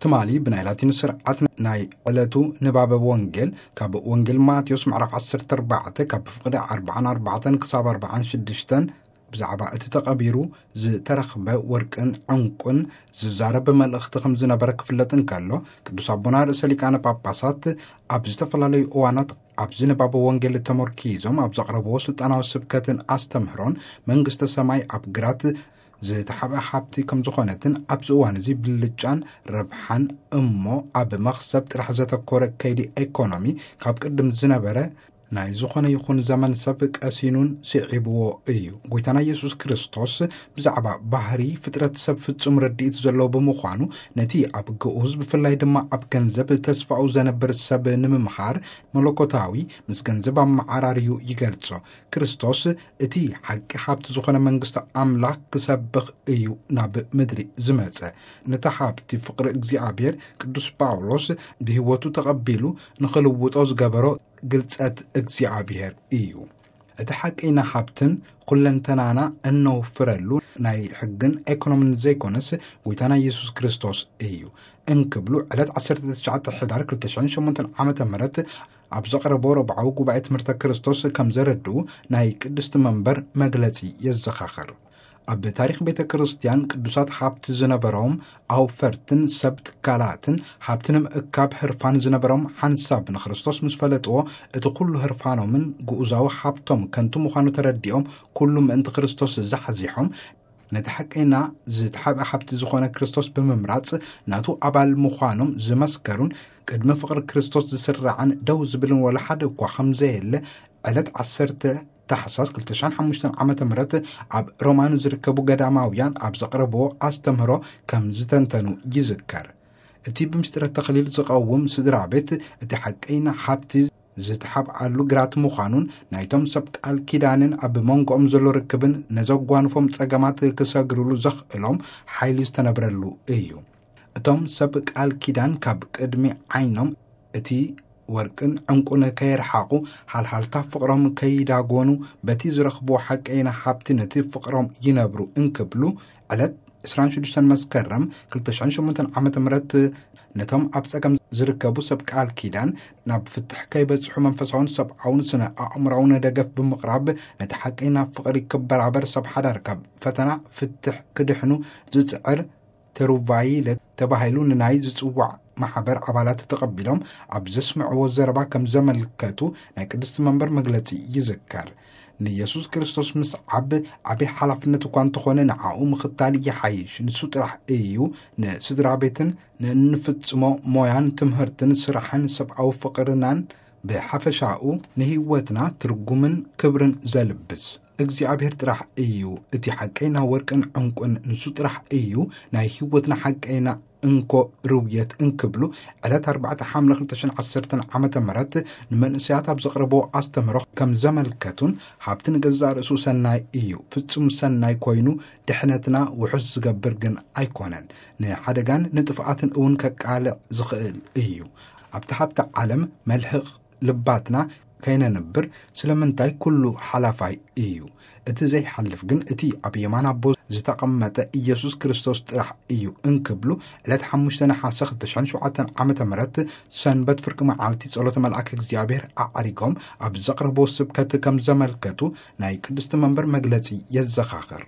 ትማሊ ብናይ ላቲን ስርዓት ናይ ዕለቱ ንባበ ወንጌል ካብ ወንጌል ማቴዎስ ምዕራፍ ዓሰርተ ኣርባዕተ ካብ ፍቕዲ ኣርባዓን ኣርባዕተን ክሳብ ኣርባዓን ሽዱሽተን ብዛዕባ እቲ ተቐቢሩ ዝተረኽበ ወርቅን ዕንቁን ዝዛረብ መልእኽቲ ከም ዝነበረ ክፍለጥ እንከሎ፣ ቅዱስ ኣቦና ርእሰ ሊቃነ ጳጳሳት ኣብ ዝተፈላለዩ እዋናት ኣብዚ ንባበ ወንጌል ተመርኪዞም ኣብ ዘቕረብዎ ስልጣናዊ ስብከትን ኣስተምህሮን መንግስተ ሰማይ ኣብ ግራት ዝተሓብአ ሃብቲ ከም ዝኾነትን ኣብዚ እዋን እዚ ብልጫን ረብሓን እሞ ኣብ መኽሰብ ጥራሕ ዘተኮረ ከይዲ ኤኮኖሚ ካብ ቅድም ዝነበረ ናይ ዝኾነ ይኹን ዘመን ሰብ ቀሲኑን ስዒብዎ እዩ። ጎይታና ኢየሱስ ክርስቶስ ብዛዕባ ባህሪ ፍጥረት ሰብ ፍጹም ረድኢት ዘለዎ ብምዃኑ፣ ነቲ ኣብ ግኡዝ ብፍላይ ድማ ኣብ ገንዘብ ተስፋኡ ዘነብር ሰብ ንምምሃር መለኮታዊ ምስ ገንዘብ ኣመዓራርዩ ይገልጾ። ክርስቶስ እቲ ሓቂ ሃብቲ ዝኾነ መንግስቲ ኣምላኽ ክሰብኽ እዩ ናብ ምድሪ ዝመጸ። ነቲ ሃብቲ ፍቕሪ እግዚኣብሔር ቅዱስ ጳውሎስ ብህይወቱ ተቐቢሉ ንኽልውጦ ዝገበሮ ግልጸት እግዚኣብሔር እዩ። እቲ ሓቀይና ሃብትን ኩለንተናና እነውፍረሉ ናይ ሕግን ኤኮኖምን ዘይኮነስ ጎይታና ኢየሱስ ክርስቶስ እዩ እንክብሉ ዕለት ዓሰርተ ትሽዓተ ሕዳር ክልተ ሽሕን ሸሞንተን ዓመተ ምህረት ኣብ ዘቕረቦ ረብዓዊ ጉባኤ ትምህርተ ክርስቶስ ከም ዘረድኡ ናይ ቅድስቲ መንበር መግለጺ የዘኻኸር። ኣብ ታሪኽ ቤተ ክርስቲያን ቅዱሳት ሃብቲ ዝነበሮም ኣውፈርትን ሰብ ትካላትን ሃብቲ ንምእካብ ህርፋን ዝነበሮም ሓንሳብ ንክርስቶስ ምስ ፈለጥዎ እቲ ኩሉ ህርፋኖምን ግኡዛዊ ሃብቶም ከንቱ ምዃኑ ተረዲኦም ኩሉ ምእንቲ ክርስቶስ ዛሕዚሖም ነቲ ሓቀይና ዝተሓብአ ሃብቲ ዝኾነ ክርስቶስ ብምምራጽ ናቱ ኣባል ምዃኖም ዝመስከሩን ቅድሚ ፍቕሪ ክርስቶስ ዝስራዕን ደው ዝብልን ወላ ሓደ እኳ ከም ዘየለ ዕለት ዓሰርተ ታሕሳስ ክልተ ሽሕን ሓሙሽተን ዓመተ ምህረት ኣብ ሮማ ንዝርከቡ ገዳማውያን ኣብ ዘቕረብዎ ኣስተምህሮ ከም ዝተንተኑ ይዝከር። እቲ ብምስጢረ ተኽሊል ዝቐውም ስድራ ቤት እቲ ሓቀይና ሃብቲ ዝተሓብኣሉ ግራት ምዃኑን ናይቶም ሰብ ቃል ኪዳንን ኣብ መንጎኦም ዘሎ ርክብን ነዘጓንፎም ጸገማት ክሰግርሉ ዘኽእሎም ሓይሊ ዝተነብረሉ እዩ። እቶም ሰብ ቃል ኪዳን ካብ ቅድሚ ዓይኖም እቲ ወርቅን ዕንቁን ከየርሓቑ፣ ሃልሃልታ ፍቕሮም ከይዳጎኑ፣ በቲ ዝረኽብዎ ሓቀይና ሃብቲ ነቲ ፍቕሮም ይነብሩ እንክብሉ፣ ዕለት ዕስራን ሽዱሽተን መስከረም ክልተ ሽሕን ሸሞንተን ዓመተ ምህረት ነቶም ኣብ ጸገም ዝርከቡ ሰብ ቃል ኪዳን ናብ ፍትሕ ከይበጽሑ መንፈሳውን ሰብኣውን ስነ ኣእምራውን ደገፍ ብምቕራብ፣ ነቲ ሓቀይና ፍቕሪ ክበራበር ሰብ ሓዳር ካብ ፈተና ፍትሕ ክድሕኑ ዝጽዕር ተሩቫይለ ተባሂሉ ንናይ ዝጽዋዕ ማሕበር ኣባላት ተቐቢሎም ኣብ ዘስምዕዎ ዘረባ ከም ዘመልከቱ ናይ ቅድስቲ መንበር መግለጺ ይዝከር። ንየሱስ ክርስቶስ ምስዓብ ዓቢ ሓላፍነት እኳ እንተኾነ፣ ንዓኡ ምኽታል ይሓይሽ። ንሱ ጥራሕ እዩ ንስድራ ቤትን ንእንፍጽሞ ሞያን ትምህርትን ስራሕን ሰብኣዊ ፍቕርናን ብሓፈሻኡ ንህይወትና ትርጉምን ክብርን ዘልብስ። እግዚኣብሔር ጥራሕ እዩ እቲ ሓቀይና ወርቅን ዕንቁን፣ ንሱ ጥራሕ እዩ ናይ ህይወትና ሓቀይና እንኮ ርውየት እንክብሉ ዕለት ኣርባዕተ ሓምለ ክልተ ሽሕን ዓሰርተን ዓመተ ምህረት ንመንእሰያት ኣብ ዘቕረብዎ ኣስተምህሮ ከም ዘመልከቱን፣ ሃብቲ ንገዛእ ርእሱ ሰናይ እዩ፣ ፍጹም ሰናይ ኮይኑ ድሕነትና ውሑስ ዝገብር ግን ኣይኮነን፣ ንሓደጋን ንጥፍኣትን እውን ከቃልዕ ዝኽእል እዩ። ኣብቲ ሃብቲ ዓለም መልህቕ ልባትና ከይነንብር ስለምንታይ ኩሉ ሓላፋይ እዩ። እቲ ዘይሓልፍ ግን እቲ ኣብ የማን ኣቦ ዝተቐመጠ ኢየሱስ ክርስቶስ ጥራሕ እዩ እንክብሉ ዕለት ሓሙሽተ ነሓሰ ክልተ ሽሕን ሸውዓተን ዓመተ ምህረት ሰንበት ፍርቂ መዓልቲ ጸሎተ መልኣክ እግዚኣብሔር ኣዕሪጎም ኣብ ዘቕረብዎ ስብከት ከም ዘመልከቱ ናይ ቅድስቲ መንበር መግለጺ የዘኻኽር።